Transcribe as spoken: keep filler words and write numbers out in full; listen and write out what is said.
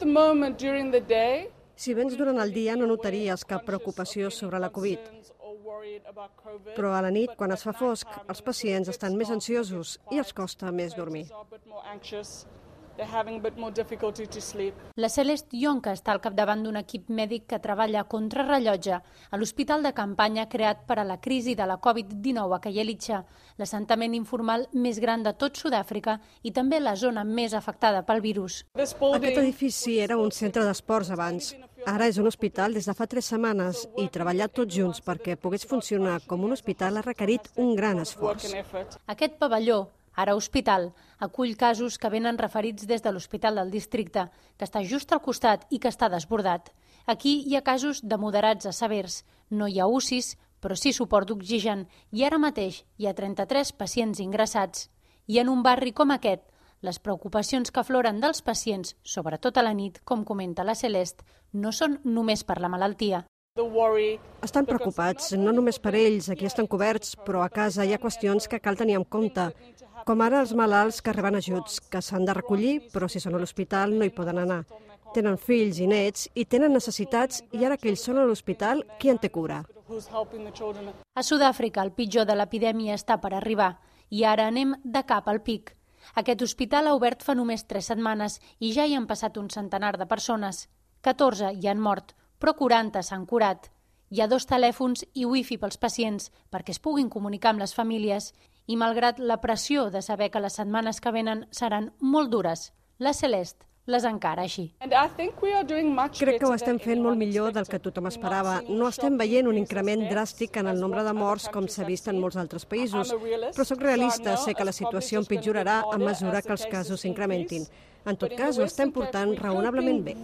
the moment during the day, Si vens durant el dia no notaries cap preocupació sobre la Covid, però a la nit, quan es fa fosc, els pacients estan més ansiosos i els costa més dormir. La Celeste Yonca està al capdavant d'un equip mèdic que treballa a contrarrellotge a l'hospital de campanya creat per a la crisi de la Covid dinou a Khayelitsha, l'assentament informal més gran de tot Sud-àfrica i també la zona més afectada pel virus. Aquest edifici era un centre d'esports abans. Ara és un hospital des de fa tres setmanes i treballar tots junts perquè pogués funcionar com un hospital ha requerit un gran esforç. Aquest pavelló, ara hospital, acull casos que venen referits des de l'hospital del districte, que està just al costat i que està desbordat. Aquí hi ha casos de moderats a severs. No hi ha U C Is, però sí suport d'oxigen, i ara mateix hi ha trenta-tres pacients ingressats. I en un barri com aquest, les preocupacions que afloren dels pacients, sobretot a la nit, com comenta la Celeste, no són només per la malaltia. Estan preocupats, no només per ells, aquí estan coberts, però a casa hi ha qüestions que cal tenir en compte, com ara els malalts que reben ajuts, que s'han de recollir, però si són a l'hospital no hi poden anar. Tenen fills i nets i tenen necessitats i ara que ells són a l'hospital, qui en té cura? A Sud-àfrica el pitjor de l'epidèmia està per arribar i ara anem de cap al pic. Aquest hospital ha obert fa només tres setmanes i ja hi han passat un centenar de persones. catorze hi han mort, però quaranta s'han curat. Hi ha dos telèfons i wifi pels pacients perquè es puguin comunicar amb les famílies i malgrat la pressió de saber que les setmanes que venen seran molt dures, la Celeste les encara així. Crec que ho estem fent molt millor del que tothom esperava. No estem veient un increment dràstic en el nombre de morts com s'ha vist en molts altres països, però sóc realista, sé que la situació empitjorarà a mesura que els casos s'incrementin. En tot cas, ho estem portant raonablement bé.